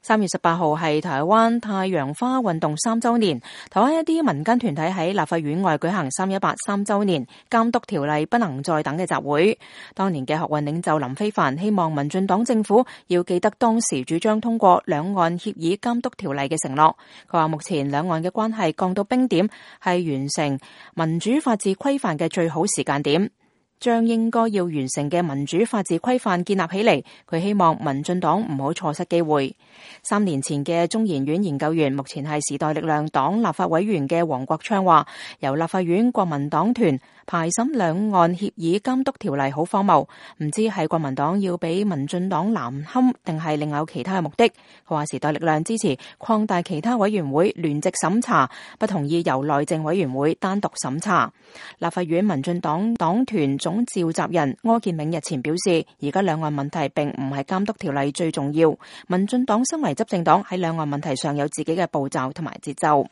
3月18號係台灣太陽花運動3週年，台灣一啲民間團體喺立法院外舉行318 3週年監督條例不能再等嘅集會。當年嘅學運領袖林飛帆希望民進黨政府要記得當時主張通過兩岸協議監督條例嘅承諾。佢話目前兩岸嘅關係降到冰點，係完成民主法治規範嘅最好時間點。將應該要完成嘅民主法治規範建立起嚟，佢希望民進黨唔好錯失機會。3年前嘅中研院研究員，目前係時代力量黨立法委員嘅黃國昌話，由立法院國民黨團排審兩岸協議監督條例好荒謬，唔知係國民黨要俾民進黨難堪，定係另有其他嘅目的。佢話時代力量支持擴大其他委員會聯席審查，不同意由內政委員會單獨審查。立法院民進黨黨團總召集人柯建銘日前表示，而家兩岸問題並唔係監督條例最重要，民進黨身為執政黨喺兩岸問題上有自己嘅步驟同埋節奏。